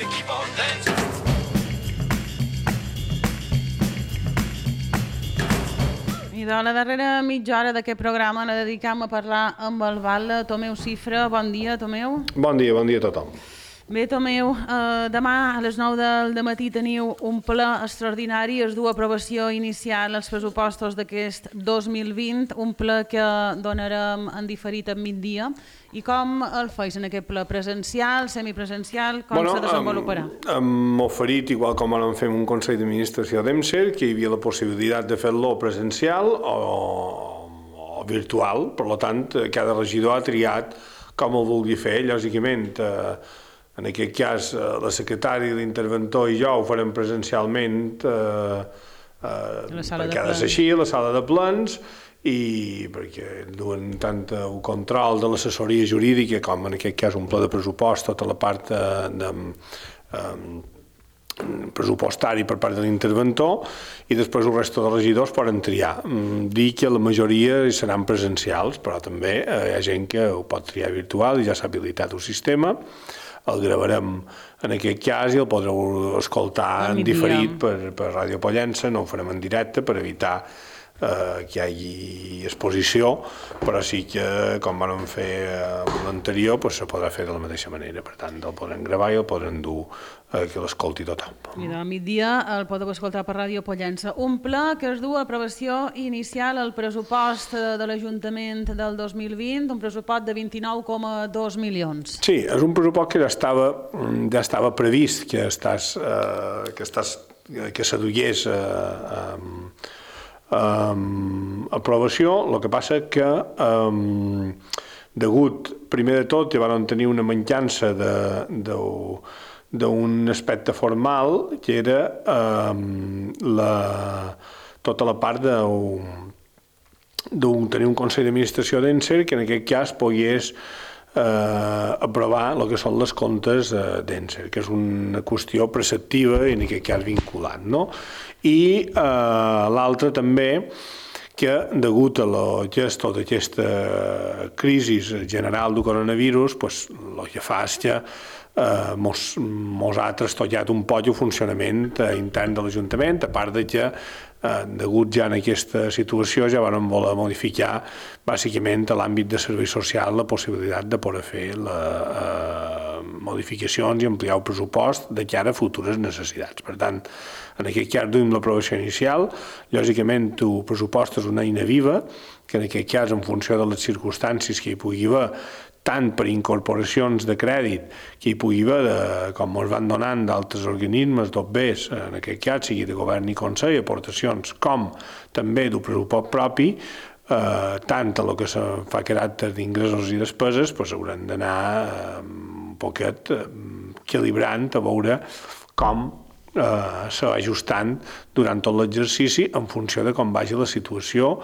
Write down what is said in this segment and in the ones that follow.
and keep on dancing. I de la darrera mitja hora d'aquest programa la dedicam a parlar amb el Val Tomeu Cifra. Bon dia, Tomeu. Bon dia a tothom. Bé, Tomeu, demà a les 9 del matí teniu un ple extraordinari, es du a aprovació inicial als pressupostos d'aquest 2020, un ple que donarem en diferit a migdia. I com el feis en aquest ple? Presencial, semipresencial? Com se desenvoluparà? Hem oferit, igual com vam fer un Consell d'Administració d'EMSER, que hi havia la possibilitat de fer-lo presencial o virtual. Per tant, cada regidor ha triat com el vulgui fer. Lògicament, en aquest cas, la secretària, l'interventor i jo ho farem presencialment perquè ha de ser així, a la sala de plens, i perquè duen tant el control de l'assessoria jurídica com en aquest cas un pla de pressupost, tota la part pressupostari per part de l'interventor, i després el resto de regidors poden triar. Dir que la majoria seran presencials, però també hi ha gent que ho pot triar virtual i ja s'ha habilitat el sistema. El gravarem en aquest cas i el podreu escoltar en diferit per Ràdio Pollença, no ho farem en directe per evitar que hi hagi exposició, però sí que, com vam fer l'anterior, se podrà fer de la mateixa manera. Per tant, el podrem gravar i el podrem dur que l'escolti tothom. I de migdia el podeu escoltar per Ràdio Pollença. Un ple que es du a aprovació inicial al pressupost de l'Ajuntament del 2020, un pressupost de 29,2 milions. Sí, és un pressupost que ja estava previst que s'adugués aprovació. El que passa que degut, primer de tot, van tenir una mancança d'un aspecte formal que era tota la part de tenir un Consell d'Administració d'ENSER que en aquest cas pogués aprovar el que són les comptes d'ENSER, que és una qüestió preceptiva i en aquest cas vinculant, no? I l'altre també que, degut a la gestió d'aquesta crisi general del coronavirus, el que fa és que mos ha trastollat un poc el funcionament intern de l'Ajuntament, a part de que, degut ja en aquesta situació, ja vam voler modificar bàsicament a l'àmbit de servei social la possibilitat de poder fer modificacions i ampliar el pressupost de cara a futures necessitats. Per tant, en aquest cas duim l'aprovació inicial. Lògicament, el pressupost és una eina viva, que en aquest cas, en funció de les circumstàncies que hi pugui haver, tant per incorporacions de crèdit que hi pugui haver, com ens van donant d'altres organismes, d'OBEs, en aquest cas, sigui de govern i consell, aportacions, com també del pressupost propi, tant a el que se fa caràcter d'ingressos i despeses, haurem d'anar un poquet equilibrant a veure com se va ajustant durant tot l'exercici en funció de com vagi la situació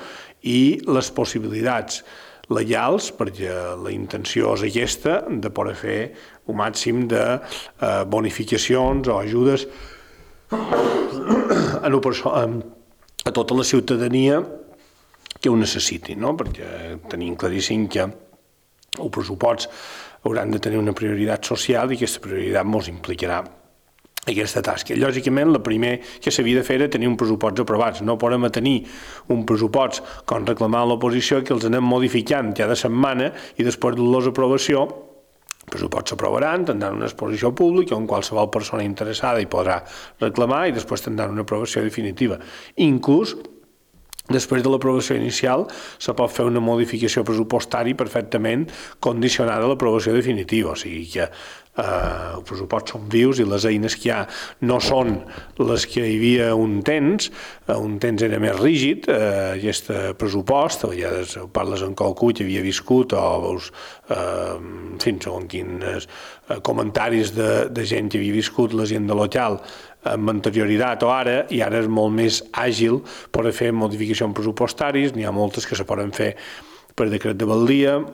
i les possibilitats legals, perquè la intenció és aquesta, de poder fer un màxim de bonificacions o ajudes a tota la ciutadania que ho necessiti, no? Perquè tenim claríssim que el pressupost hauran de tenir una prioritat social i aquesta prioritat ens implicarà aquesta tasca. Lògicament, el primer que s'havia de fer era tenir un pressupost aprovats. No podem tenir un pressupost, com reclamava l'oposició, que els anem modificant cada setmana i després de l'aprovació els pressupostos s'aprovaran, tindran una exposició pública on qualsevol persona interessada hi podrà reclamar i després tindran una aprovació definitiva. Inclús després de l'aprovació inicial se pot fer una modificació pressupostària perfectament condicionada a l'aprovació definitiva, o sigui que els pressupostos són vius i les eines que hi ha no són les que hi havia un temps era més rígid, aquest pressupost, a vegades parles en qualcú que havia viscut o veus segons quins comentaris de gent que havia viscut la gent de local amb anterioritat o ara, i ara és molt més àgil per fer modificacions pressupostàries, n'hi ha moltes que se poden fer per decret de valdia,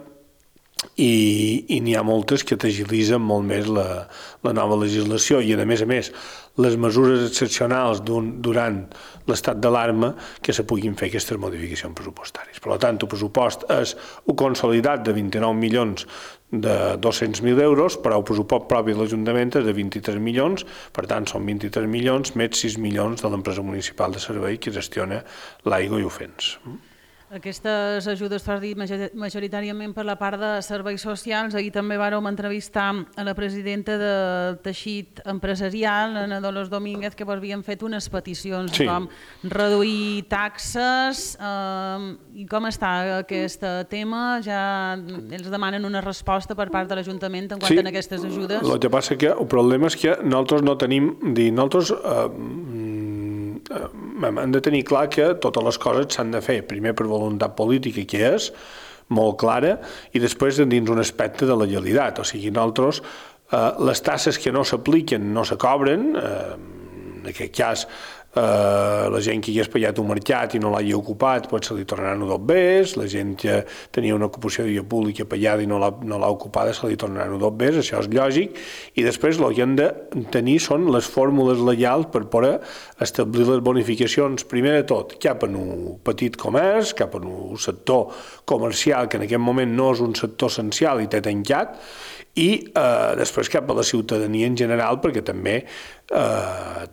i n'hi ha moltes que t'agilitzen molt més la nova legislació i, a més, les mesures excepcionals durant l'estat d'alarma que se puguin fer aquestes modificacions pressupostàries. Per tant, el pressupost és un consolidat de 29 milions de 200.000 euros, però el pressupost propi de l'Ajuntament és de 23 milions, per tant, són 23 milions més 6 milions de l'empresa municipal de servei que gestiona l'aigua i ho fens. Aquestes ajudes, t'has dit, majoritàriament per la part de serveis socials. Ahir també vàrem entrevistar a la presidenta del teixit empresarial, Ana Dolors Domínguez, que vos havien fet unes peticions com reduir taxes. I com està aquest tema? Ja ells demanen una resposta per part de l'Ajuntament en quant a aquestes ajudes? El que passa que el problema és que nosaltres no tenim... Nosaltres hem de tenir clar que totes les coses s'han de fer, primer per voluntat política, que és molt clara, i després dins un aspecte de legalitat. O sigui, nosaltres, les tasses que no s'apliquen no se cobren, en aquest cas, la gent que hagués pagat un mercat i no l'hagi ocupat, pues se li tornaran dos bes, la gent que tenia una ocupació de via pública pagada i no l'ha ocupada se li tornaran dos bes, això és lògic, i després el que hem de tenir són les fórmules legals per poder establir les bonificacions, primer de tot, cap en un petit comerç, cap en un sector comercial que en aquest moment no és un sector essencial i té tancat, i després cap a la ciutadania en general, perquè també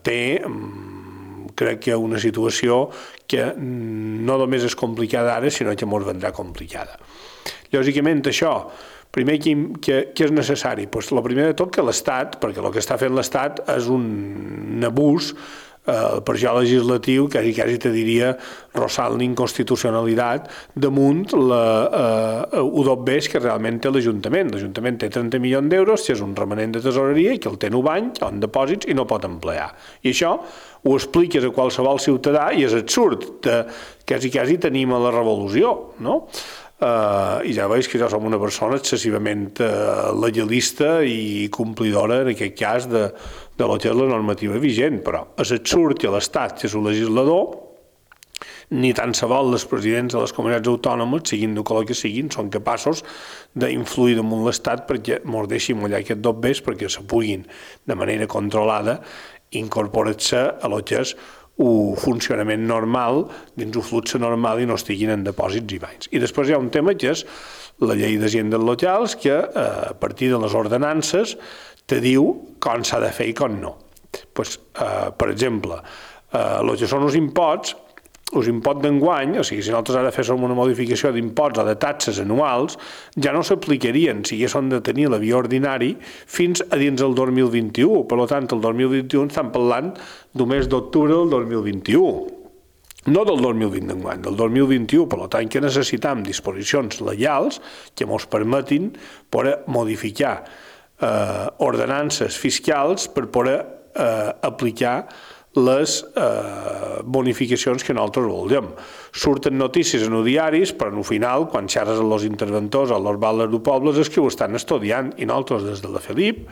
té crec que una situació que no només és complicada ara, sinó que ens vendrà complicada. Lògicament, això, primer, què és necessari? El primer de tot que l'Estat, perquè el que està fent l'Estat és un abús per això legislatiu, quasi te diria rossant l'inconstitucionalitat damunt U2Bs que realment té l'Ajuntament. L'Ajuntament té 30 milions d'euros, que és un remanent de tesoreria i que el té en un banc, en depòsits i no pot emplear. I això ho expliques a qualsevol ciutadà i és absurd. Quasi tenim a la revolució, no? I ja veus que jo som una persona excessivament legalista i complidora, en aquest cas, de lo que és la normativa vigent, però és absurd que l'Estat, que és un legislador, ni tan se vol els presidents de les comunitats autònomes, siguin de color que siguin, són capaços d'influir damunt l'Estat perquè ens deixi mullar aquests dos bes perquè se puguin, de manera controlada, incorporar-se a lo que és un funcionament normal, dins un flux normal i no estiguin en depòsits i bancs. I després hi ha un tema que és la llei d'hisendes locals que a partir de les ordenances te diu com s'ha de fer i com no. Per exemple, el que són els imposts d'enguany, o sigui, si nosaltres ara féssim una modificació d'imposts o de taxes anuals, ja no s'aplicarien si haguessin de tenir la via ordinari fins a dins del 2021. Per tant, el 2021 estem parlant del mes d'octubre del 2021. No del 2020 d'enguany, del 2021. Per tant, que necessitem disposicions legals que ens permetin poder modificar ordenances fiscals per poder aplicar les bonificacions que nosaltres voldríem. Surten notícies en els diaris, però al final, quan xerres amb els interventors o els baldes de pobles, és que ho estan estudiant, i nosaltres des de la FELIP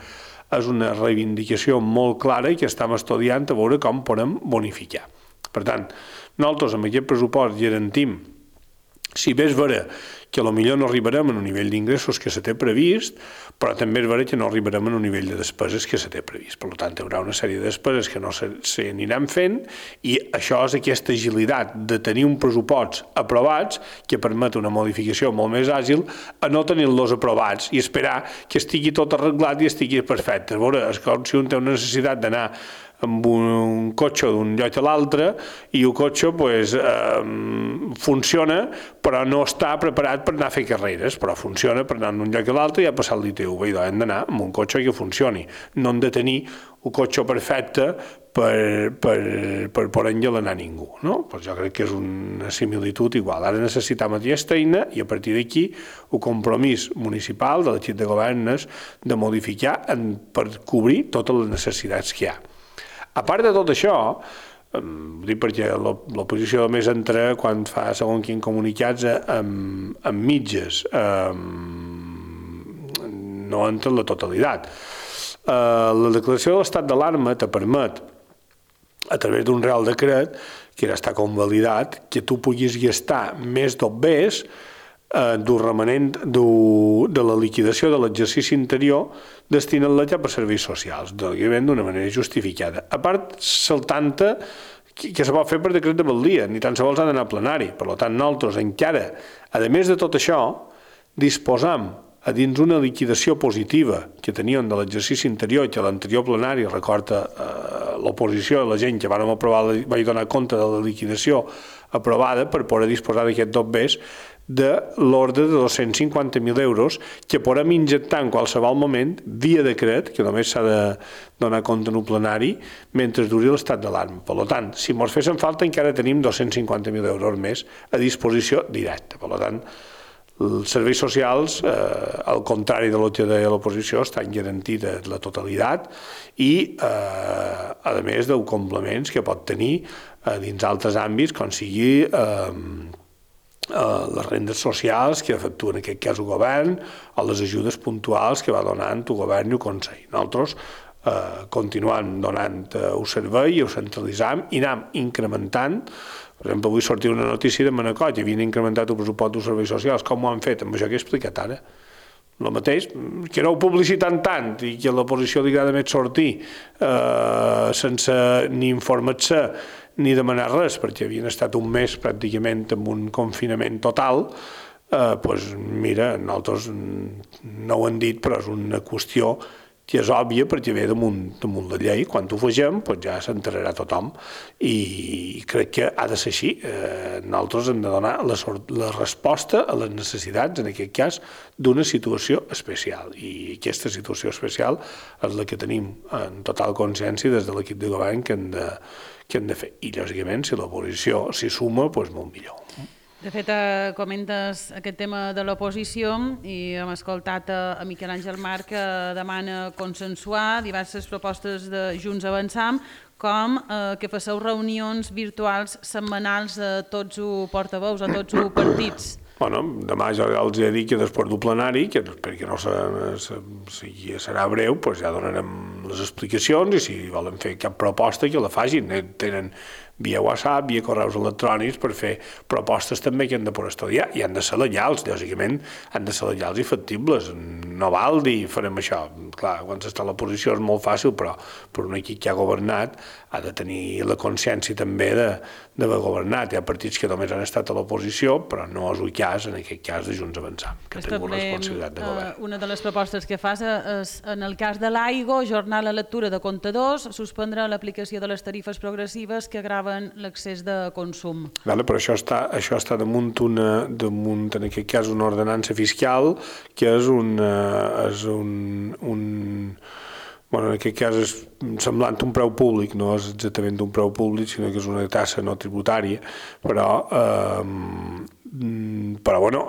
és una reivindicació molt clara i que estem estudiant a veure com podem bonificar. Per tant, nosaltres amb aquest pressupost garantim, si bé és vera que potser no arribarem a un nivell d'ingressos que se té previst, però també és vera que no arribarem a un nivell de despeses que se té previst. Per tant, hi haurà una sèrie de despeses que no s'aniran fent i això és aquesta agilitat de tenir un pressupost aprovats que permet una modificació molt més àgil a no tenir-los aprovats i esperar que estigui tot arreglat i estigui perfecte. A veure, és com si un té una necessitat d'anar amb un cotxe d'un lloc a l'altre i el cotxe funciona però no està preparat per anar a fer carreres, però funciona per anar d'un lloc a l'altre i ha passat l'ITV. Hem d'anar amb un cotxe que funcioni, no hem de tenir un cotxe perfecte per poder enllalanar ningú. Jo crec que és una similitud igual. Ara necessitem aquesta eina i a partir d'aquí el compromís municipal de l'equip de govern és de modificar per cobrir totes les necessitats que hi ha. A part de tot això, dic perquè l'oposició només entra quan fa segons quins comunicats amb mitges, no entra en la totalitat. La declaració de l'estat d'alarma te permet, a través d'un real decret, que ja està convalidat, que tu puguis gastar més d'OBs del remanent de la liquidació de l'exercici anterior destinant-la ja per serveis socials, d'una manera justificada. A part, saltant-te que se pot fer per decret de valdia, ni tan sols ha d'anar a plenari. Per tant, nosaltres encara, a més de tot això, disposam a dins una liquidació positiva que teníem de l'exercici anterior, que l'anterior plenari, recorda l'oposició, la gent que vam aprovar, vaig donar compte de la liquidació aprovada per poder disposar d'aquests dobbers de l'ordre de 250.000 euros que podem injectar en qualsevol moment via decret, que només s'ha de donar compte en un plenari, mentre duri l'estat d'alarma. Per tant, si ens fessin falta encara tenim 250.000 euros més a disposició directa. Per tant, els serveis socials, al contrari de lo que deia l'oposició, estan garantits la totalitat i, a més, dels complements que pot tenir dins altres àmbits, com sigui les rendes socials que efectua en aquest cas el govern o les ajudes puntuals que va donant el govern i el Consell. Nosaltres continuem donant el servei i ho centralitzam i anem incrementant. Per exemple, avui sortia una notícia de Manacor que havien incrementat el pressupost dels serveis socials. Com ho han fet? Amb això que he explicat ara. El mateix, que no ho publicitant tant i que a l'oposició li agrada més sortir sense ni informar-se ni demanar res, perquè havien estat un mes pràcticament amb un confinament total, doncs mira, nosaltres no ho hem dit, però és una qüestió que és òbvia perquè ve damunt la llei. Quan ho fegem, doncs ja s'enterarà tothom i crec que ha de ser així. Nosaltres hem de donar la resposta a les necessitats, en aquest cas, d'una situació especial. I aquesta situació especial és la que tenim en total consciència des de l'equip de govern que hem de fer. I, lògicament, si l'oposició s'hi suma, doncs molt millor. De fet, comentes aquest tema de l'oposició i hem escoltat a Miquel Àngel Marc que demana consensuar diverses propostes de Junts Avançam, com que faceu reunions virtuals setmanals a tots els portaveus, a tots els partits. Demà ja els he dit que després del plenari, perquè no serà breu, ja donarem les explicacions i si volen fer cap proposta que la facin. Tenen via WhatsApp, via correus electrònics per fer propostes també que han de poder estudiar i han de ser legals, lògicament han de ser legals i factibles. No val dir farem això. Clar, quan s'està a l'oposició és molt fàcil, però per un equip que ha governat ha de tenir la consciència també d'haver governat. Hi ha partits que només han estat a l'oposició, però no és el cas, en aquest cas, de Junts Avançam, que ha tingut responsabilitat de govern. Una de les propostes que fas és, en el cas de l'AIGO, ajornar la lectura de comptadors, suspendre l'aplicació de les tarifes progressives que agraven l'accés de consum. Però això està damunt, en aquest cas, una ordenança fiscal, que és en aquest cas és semblant a un preu públic, no és exactament un preu públic, sinó que és una tassa no tributària, però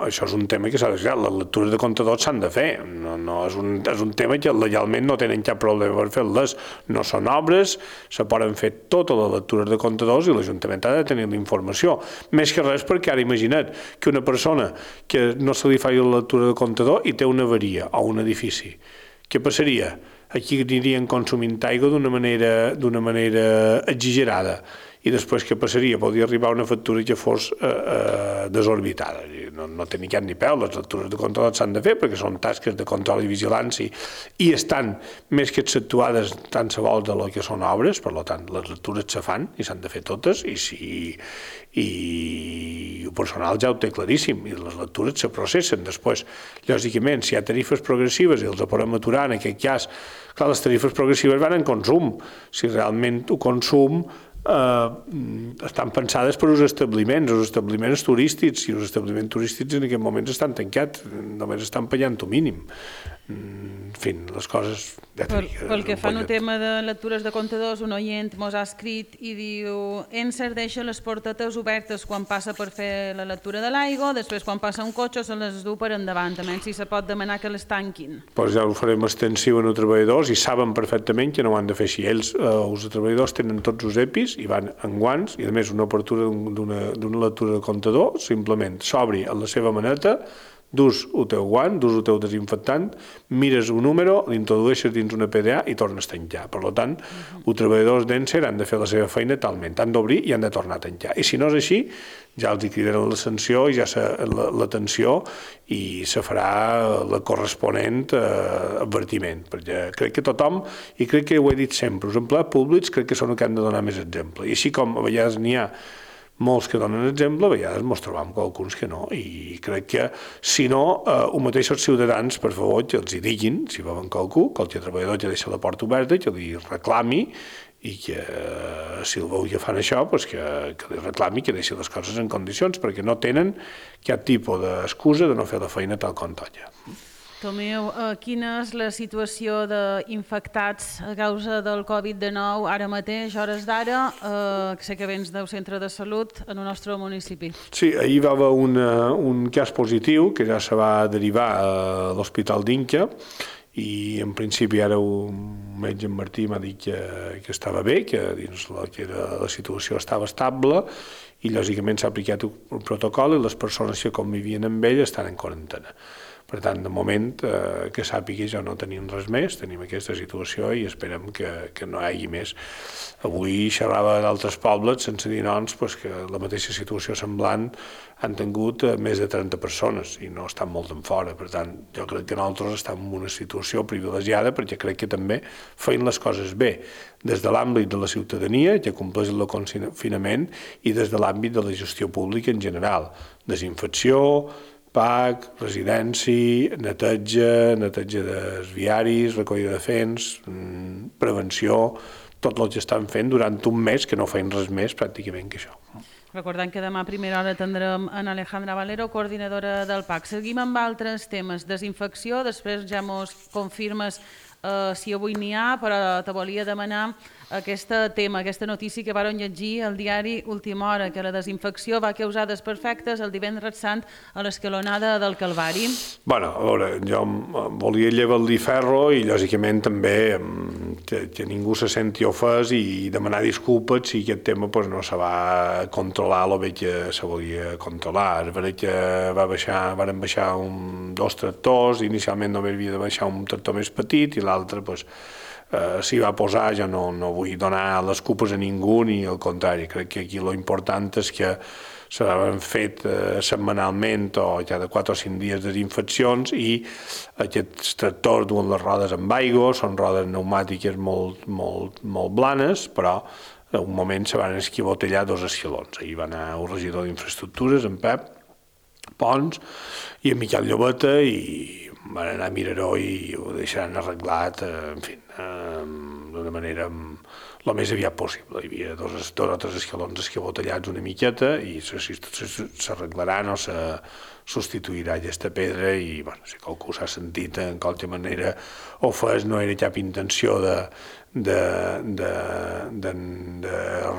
això és un tema que s'ha de fer. Les lectures de comptadors s'han de fer, és un tema que legalment no tenen cap problema per fer-les, no són obres, se poden fer totes les lectures de comptadors i l'Ajuntament ha de tenir la informació. Més que res perquè ara imagina't que una persona que no se li faci la lectura de comptador i té una avaria o un edifici. Què passaria? Aquí anirien consumint aigua d'una manera exagerada i després què passaria? Podria arribar una factura que fos desorbitada. No té ni cap ni peu, les lectures de comptadors s'han de fer perquè són tasques de control i vigilància i estan més que exceptuades tant se vol de lo que són obres, per tant, les lectures se fan i s'han de fer totes i el personal ja ho té claríssim i les lectures se processen. Després, lògicament, si hi ha tarifes progressives i els podem aturar, en aquest cas, clar, les tarifes progressives van en consum. Si realment el consum estan pensades per als establiments turístics, i els establiments turístics en aquest moment estan tancats, només estan pagant el mínim. En fi, les coses... Pel que fa al tema de lectures de comptadors, un oient mos ha escrit i diu: Encer deixa les portetes obertes quan passa per fer la lectura de l'aigua, després quan passa un cotxe se les du per endavant, també si se pot demanar que les tanquin. Doncs ja ho farem extensiu en els treballadors i saben perfectament que no ho han de fer així. Ells, els treballadors, tenen tots els EPIs i van en guants i a més una obertura d'una lectura de comptador simplement s'obri en la seva maneta dus el teu guant, dus el teu desinfectant, mires un número, l'introdueixes dins una PDA i tornes a tancar. Per tant, els treballadors d'Encer han de fer la seva feina talment, han d'obrir i han de tornar a tancar. I si no és així, ja els cridaran la sanció i ja l'atenció i se farà la corresponent advertiment, perquè crec que tothom, i crec que ho he dit sempre, els empleats públics crec que són els que han de donar més exemple. I així com a vegades n'hi ha molts que donen exemple, a vegades ens trobam amb alguns que no, i crec que, si no, els mateixos ciutadans, per favor, que els hi diguin, si veuen qualque treballador que deixa la porta oberta, que li reclami, i que, si el veu que fan això, que li reclami que deixi les coses en condicions, perquè no tenen cap tipus d'excusa de no fer la feina tal com toca. Tomeu, quina és la situació d'infectats a causa del Covid-19 ara mateix, hores d'ara, que sé que vens del centre de salut en el nostre municipi? Sí, ahir va haver un cas positiu que ja se va derivar a l'Hospital d'Inca i en principi ara un metge en Martí m'ha dit que estava bé, que dins la situació estava estable i lògicament s'ha aplicat un protocol i les persones que convivien amb ell estan en quarantena. Per tant, de moment, que sàpiga, ja no tenim res més, tenim aquesta situació i esperem que no hi hagi més. Avui xerrava d'altres pobles, sense dir noms, que la mateixa situació semblant han tingut més de 30 persones i no estan molt en fora. Per tant, jo crec que nosaltres estem en una situació privilegiada perquè crec que també feien les coses bé, des de l'àmbit de la ciutadania, que compleix el confinament, i des de l'àmbit de la gestió pública en general. Desinfecció, PAC, residència, neteja dels viaris, recollida de fens, prevenció, tot el que estan fent durant un mes, que no feien res més pràcticament que això. Recordant que demà a primera hora tindrem en Alejandra Valero, coordinadora del PAC. Seguim amb altres temes. Desinfecció, després ja mos confirmes si avui n'hi ha, però te volia demanar aquest tema, aquesta notícia que varen llegir al diari Última Hora, que la desinfecció va causar desperfectes el divendres sant a l'escalonada del Calvari. Bé, a veure, jo volia llevar-li ferro i lògicament també que ningú se senti ofès i demanar disculpes si aquest tema no se va controlar el bé que se volia controlar. És veritat que varen baixar dos tractors, inicialment només havia de baixar un tractor més petit i l'altre s'hi va posar. Jo no vull donar les culpes a ningú ni al contrari, crec que aquí l'important és que s'han fet setmanalment o cada 4 o 5 dies desinfeccions i aquests tractors duen les rodes amb aigua, són rodes pneumàtiques molt blanes, però en un moment se van esquivotellar 2 escalons. Ahir va anar el regidor d'Infraestructures, en Pep Pons, i en Miquel Llobeta, i van anar a Miraró i ho deixaran arreglat, en fi, d'una manera el més aviat possible. Hi havia 2 o 3 escalons esquivotellats una miqueta i s'arreglaran o se substituirà aquesta pedra i, si qualcú s'ha sentit en qualque manera ofès, no era cap intenció de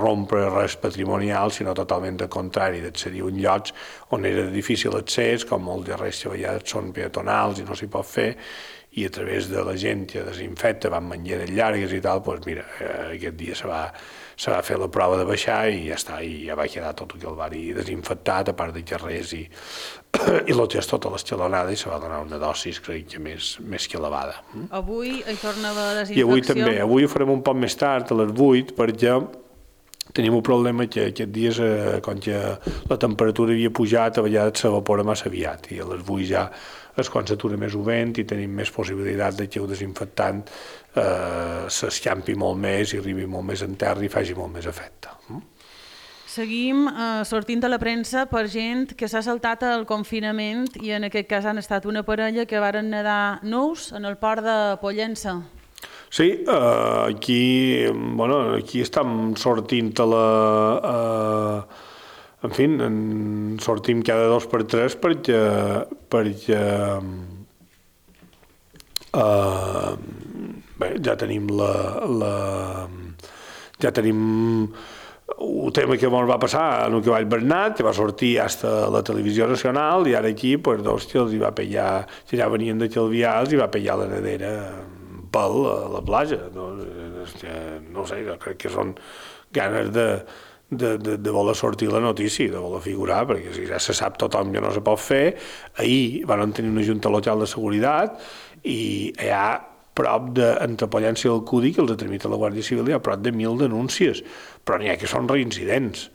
rompre res patrimonial, sinó totalment al contrari, d'accedir a un lloc on era de difícil accés, com molts de res que a vegades són peatonals i no s'hi pot fer, i a través de la gent que desinfecta, van manlleres llargues i tal, doncs mira, aquest dia se va fer la prova de baixar i ja està, i ja va quedar tot el Calvari desinfectat, a part de carrers i el que és tota l'escalonada, i se va donar una dosis, crec que més que elevada. Avui hi torna a haver desinfecció? I avui també, avui ho farem un poc més tard, a les 8, perquè tenim un problema que aquests dies, com que la temperatura havia pujat, a vegades s'evapora massa aviat, i a les 8 ja és quan s'atura més el vent i tenim més possibilitat que el desinfectant s'escampi molt més i arribi molt més en terra i faci molt més efecte. Seguim sortint a la premsa per gent que s'ha saltat el confinament i en aquest cas han estat una parella que varen nedar nus en el port de Pollença. Sí, aquí estem sortint a la... En fi, sortim cada 2 per 3 perquè ja tenim el tema que ens va passar en el cavall Bernat, que va sortir fins a la televisió nacional, i ara aquí, que els hi va pillar, que ja venien de Calvià, els hi va pillar la nedera pel a la platja. No sé, jo crec que són ganes de voler sortir la notícia, de voler figurar, perquè si ja se sap tothom que no se pot fer. Ahir van tenir una junta local de seguretat i hi ha prop entre Pollença i el Cudi, que els ha tramitat la Guàrdia Civil, hi ha prop de 1.000 denúncies, però n'hi ha que són reincidents.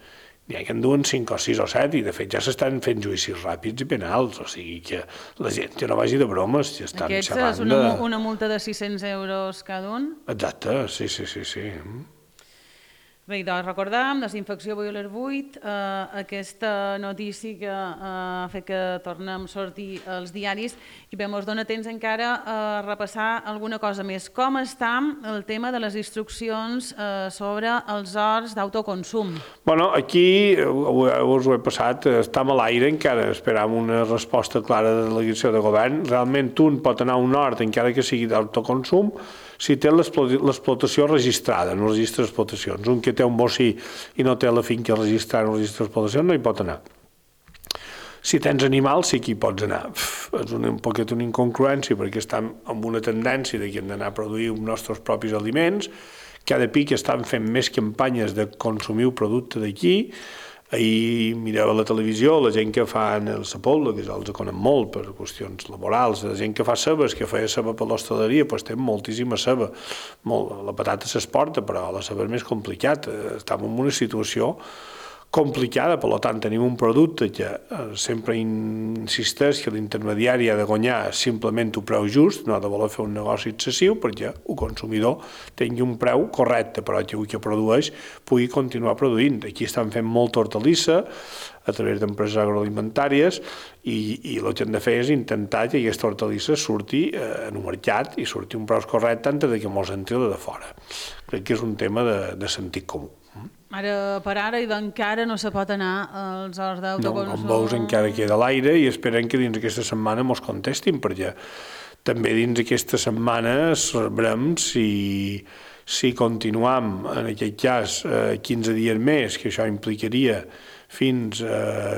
N'hi ha que en duen 5 o 6 o 7 i de fet ja s'estan fent judicis ràpids i penals, o sigui que la gent ja no vagi de bromes, ja estan xerrant. Aquests és una multa de 600 euros cada un? Exacte, sí. Bé, doncs recordam, desinfecció Boiler 8, aquesta notícia que ha fet que tornem a sortir als diaris i bé, ens dona temps encara a repassar alguna cosa més. Com està el tema de les instruccions sobre els horts d'autoconsum? Bueno, aquí us ho he passat, estem a l'aire encara, esperam una resposta clara de la delegació de govern. Realment un pot anar a un hort encara que sigui d'autoconsum si té l'explotació registrada, no registra explotacions. Un que té un bocí i no té la finca registrada, no registra explotacions, no hi pot anar. Si tens animals, sí que hi pots anar. És un poquet una incongruència, perquè estem amb una tendència que hem d'anar a produir els nostres propis aliments. Cada pic estan fent més campanyes de consumir el producte d'aquí. Ahir mirava a la televisió la gent que fa el Sepoldo, que ja els conem molt per qüestions laborals, la gent que fa cebes, que feia ceba per l'hostaleria, doncs té moltíssima ceba. La patata s'exporta, però la ceba és més complicat. Estem en una situació complicada, per tant tenim un producte que sempre insisteix que l'intermediari ha de guanyar simplement un preu just, no ha de voler fer un negoci excessiu perquè el consumidor tingui un preu correcte, però que el que produeix pugui continuar produint. Aquí estan fent molta hortalissa a través d'empreses agroalimentàries i el que hem de fer és intentar que aquesta hortalissa surti en un mercat i surti un preu correcte antes que mos entri de fora. Crec que és un tema de sentit comú. Ara, per ara, i encara no se pot anar als horts d'autoconsum. No, com veus, encara queda a l'aire i esperem que dins aquesta setmana mos contestin, perquè també dins aquesta setmana sabrem si continuam, en aquest cas, 15 dies més, que això implicaria fins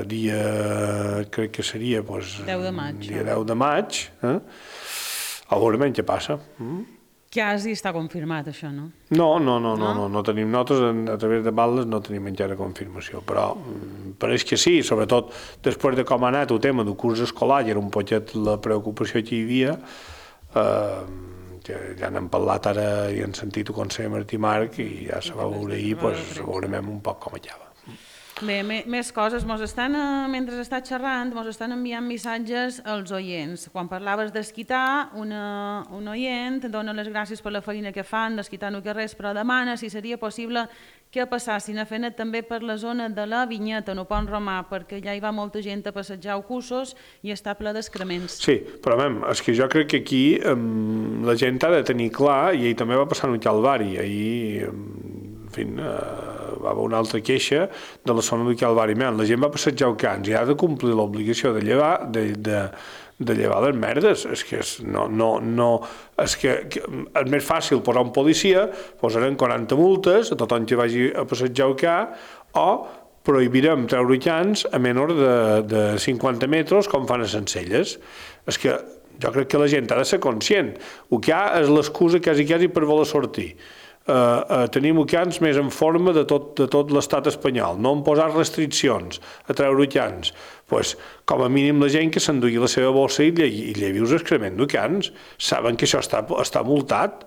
dia, crec que seria, 10 de maig. Dia 10 de maig, a veure què passa. Quasi està confirmat, això, no? No tenim notes, a través de baldes no tenim encara confirmació, però pareix que sí, sobretot després de com ha anat el tema del curs escolar, i era un poquet la preocupació que hi havia, que ja n'hem parlat ara i hem sentit el conseller Martí Marc i ja se va veure ahir, doncs veurem un poc com acaba. Bé, més coses. Mentre està xerrant, ens estan enviant missatges als oients. Quan parlaves d'esquitar, un oient dona les gràcies per la feina que fan d'esquitar no que res, però demana si seria possible que passassin a fer-ne també per la zona de la Vinyeta, no Pont Romà, perquè ja hi va molta gent a passejar Cussos i està ple d'excrements. Sí, però és que jo crec que aquí la gent ha de tenir clar, i ahir també va passar en el Calvari, ahir va haver una altra queixa de la zona del Calvari. La gent va passejar el Cans i ha de complir l'obligació de llevar les merdes. És que és més fàcil posar un policia, posarem 40 multes a tothom que vagi a passejar el Cans, o prohibirem treure cans a menys de 50 metres com fan a Sencelles. És que jo crec que la gent ha de ser conscient. El que hi ha és l'excusa quasi per voler sortir. Tenim cans més en forma de tot l'estat espanyol, no han posat restriccions a treure cans. Com a mínim la gent que s'endugui la seva bossa i llevi els excrements de cans, saben que això està multat.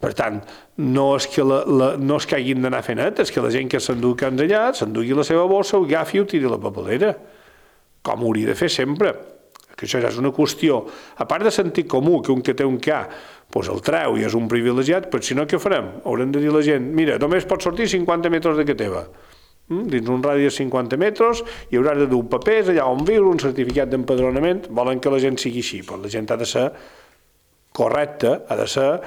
Per tant, no és que hagin d'anar fent net, és que la gent que s'endugui cans allà, s'endugui la seva bossa, ho agafi i ho tiri a la paperera, com ho hauria de fer sempre. Que això ja és una qüestió, a part de sentit comú, que un que té un ca el treu i és un privilegiat, però si no, què farem? Haurem de dir a la gent, mira, només pots sortir 50 metres de que teva. Dins un radi de 50 metres hi hauràs de dur papers allà on viure, un certificat d'empadronament, volen que la gent sigui així, però la gent ha de ser correcta, ha de ser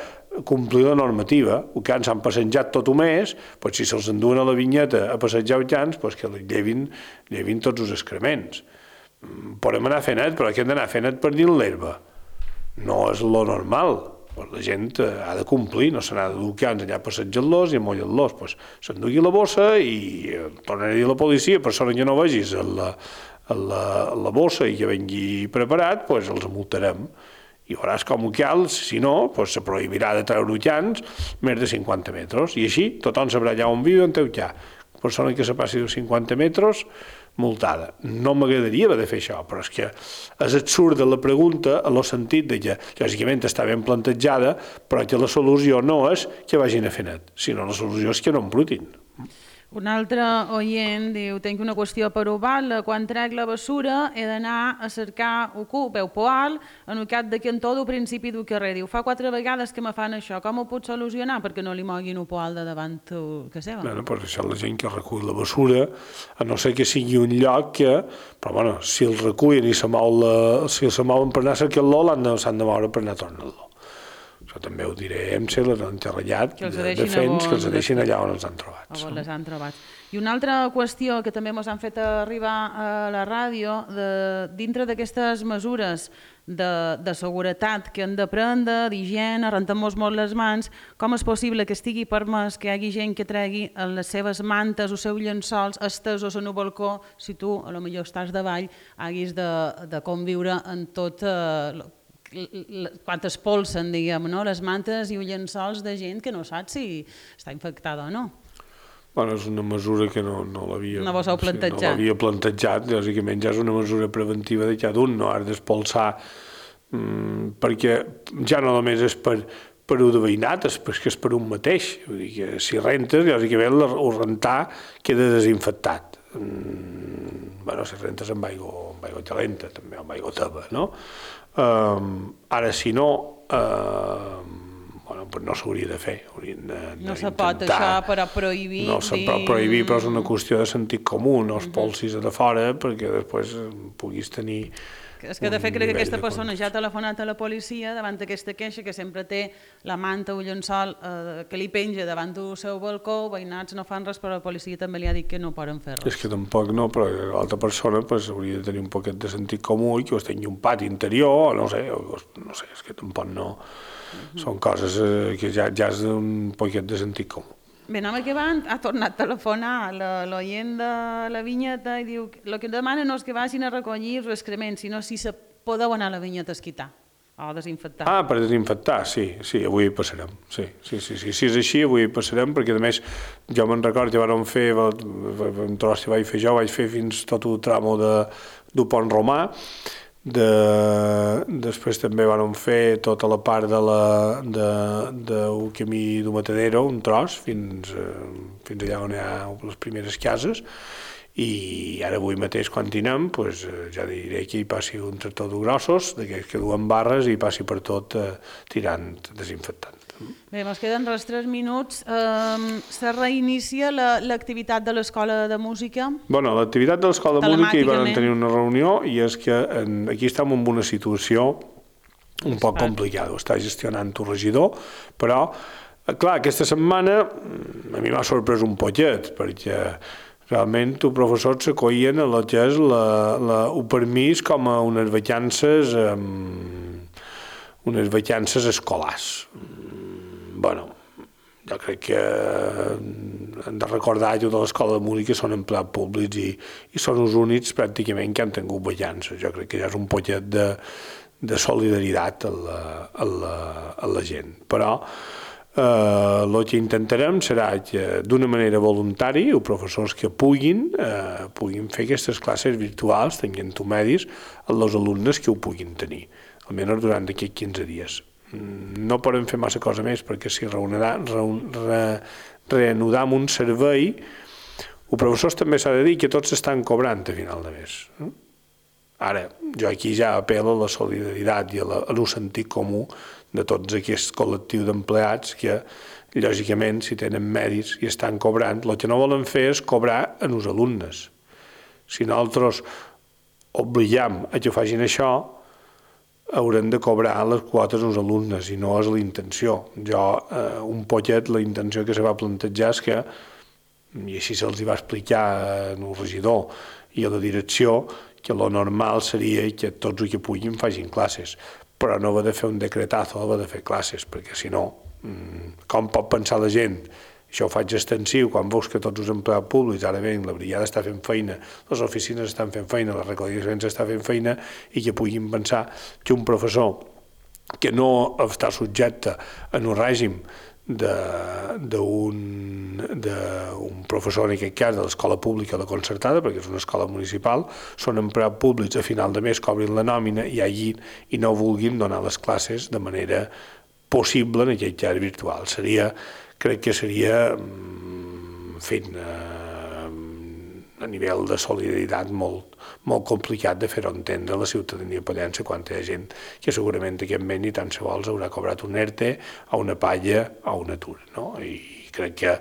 complir la normativa. El cans s'han passejat tot un mes, si se'ls enduen a la Vinyeta a passejar el cans, que llevin tots els excrements. Podem anar fent net, però que hem d'anar fent net per dins l'herba. No és lo normal. La gent ha de complir, no se n'ha de dur cans allà passejant-los i amollant-los. S'endugui la bossa i tornaré a dir a la policia, persona que no vegis la bossa i que vengui preparat, els multarem. I veuràs com ho cal, si no, se prohibirà de treure cans més de 50 metres. I així tothom sabrà allà on viu i on té el ca. persona que se passi de 50 metres, multada. No m'agradaria haver de fer això, però és que és absurda la pregunta en el sentit de que, lògicament, està ben plantejada, però que la solució no és que vagin a fer net, sinó la solució és que no embrutin. Un altre oient diu, tinc una qüestió per Oval, quan trec la bessura he d'anar a cercar ocú, veu poal, en el cap de cantó del principi del carrer. Diu, fa 4 vegades que me fan això, com ho puc solucionar perquè no li moguin un poal de davant que seva? Bueno, però això la gent que recull la bessura, a no ser que sigui un lloc que, però bueno, si el recullen i si se mouen per anar a cercar-lo, s'han de moure per anar a tornar-lo. Això també ho diré a EMSE, l'enterrellat de Fens, que els deixin allà on els han trobat. On les han trobat. I una altra qüestió que també ens han fet arribar a la ràdio, dintre d'aquestes mesures de seguretat que hem de prendre, d'higiene, rentar-nos molt les mans, com és possible que estigui permès que hi hagi gent que tregui les seves mantes o seus llençols estesos en el balcó si tu, a lo millor estàs davall, haguis de conviure en tot quan es polsen, diguem, les mantes i els llençols de gent que no sap si està infectada o no. Bueno, és una mesura que no l'havia plantejat. No l'havia plantejat, bàsicament ja és una mesura preventiva de cada un, no has d'espolsar, perquè ja no només és per un de veïnat, és que és per un mateix. Vull dir que si rentes, lògicament el rentar queda desinfectat. Bueno, si rentes amb aigua calenta, també amb aigua teba, no? Ara, si no, no s'hauria de fer. No se pot això, però prohibir... No se pot prohibir, però és una qüestió de sentit comú, no es polsis a de fora perquè després puguis tenir... És que de fet crec que aquesta persona ja ha telefonat a la policia davant d'aquesta queixa que sempre té la manta o llençol que li penja davant del seu balcó, veïnats no fan res, però la policia també li ha dit que no poden fer res. És que tampoc no, però l'altra persona hauria de tenir un poquet de sentit comú i que es tingui un pati interior, no sé, és que tampoc no... Són coses que ja és un poquet de sentit comú. Bé, anem acabant, ha tornat a telefonar l'oient de la vinyeta i diu el que demana no és que vagin a recollir els excrements, sinó si se podeu anar a la vinyeta a esquitar o a desinfectar. Ah, per desinfectar, sí, avui hi passarem. Sí, si és així, avui hi passarem, perquè a més jo me'n recordo que vam fer, un tros que vaig fer fins tot el tramo del Pont Romà, després també vam fer tota la part del camí del Matadero, un tros, fins allà on hi ha les primeres cases, i ara avui mateix quan anem ja diré que hi passi un tractor de grossos, d'aquells que duen barres, i passi per tot tirant desinfectant. Bé, ens queden res 3 minuts. Se reinicia l'activitat de l'Escola de Música? Bueno, l'activitat de l'Escola de Música hi vam tenir una reunió i és que aquí estem en una situació un poc complicada. Ho està gestionant el regidor, però, clar, aquesta setmana a mi m'ha sorprès un poquet, perquè realment els professors s'acollien a el que és el permís com a unes vacances escolars. Bueno, jo crec que hem de recordar que de l'Escola de Música són empleats públics i són els únics pràcticament que han tingut vacances. Jo crec que ja és un poquet de solidaritat a la gent. Però el que intentarem serà que d'una manera voluntària els professors que puguin fer aquestes classes virtuals, tenint medis, als alumnes que ho puguin tenir, almenys durant aquests 15 dies. No podem fer massa cosa més perquè si reanudam un servei, els professors també s'ha de dir que tots estan cobrant a final de mes. Ara, jo aquí ja apel·lo a la solidaritat i a el sentit comú de tots aquests col·lectius d'empleats que, lògicament, si tenen mèrits i estan cobrant, el que no volen fer és cobrar en els alumnes. Si nosaltres obligam a que facin això, haurem de cobrar les quotes als alumnes i no és la intenció. Un poquet la intenció que se va plantejar és que, i així se'ls va explicar al regidor i a la direcció, que lo normal seria que tots els que puguin facin classes, però no va de fer un decretazo, va de fer classes, perquè si no, com pot pensar la gent? Això ho faig extensiu, quan veus que tots els empleats públics, ara bé, la brigada està fent feina, les oficines estan fent feina, la recollida està fent feina, i que puguin pensar que un professor que no està subjecte a un règim d'un professor, en aquest cas, de l'escola pública o de concertada, perquè és una escola municipal, són empleats públics a final de mes, cobrin la nòmina i no vulguin donar les classes de manera possible en aquest cas virtual. Crec que seria, en fi, a nivell de solidaritat molt complicat de fer-ho entendre a la ciutadania pallense quan hi ha gent que segurament aquest mes ni tan sols haurà cobrat un ERTE, a una palla o un atur, no? I crec que,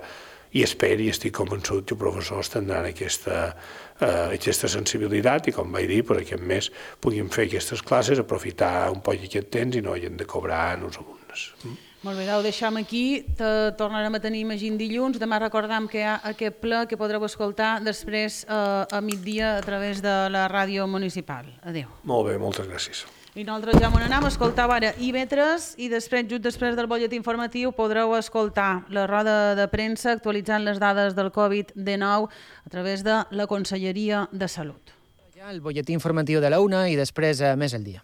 i espero i estic convençut que els professors tindran aquesta sensibilitat i, com vaig dir, per aquest mes puguin fer aquestes classes, aprofitar un poc aquest temps i no hagin de cobrar als alumnes. Molt bé, ho deixem aquí, tornarem a tenir, imagino, dilluns. Demà recordam que hi ha aquest ple que podreu escoltar després a migdia a través de la ràdio municipal. Adéu. Molt bé, moltes gràcies. I nosaltres ja m'on anem a escoltar ara IB3 i després, just després del butlletí informatiu, podreu escoltar la roda de premsa actualitzant les dades del Covid-19 a través de la Conselleria de Salut. El butlletí informatiu de la 1 i després més el dia.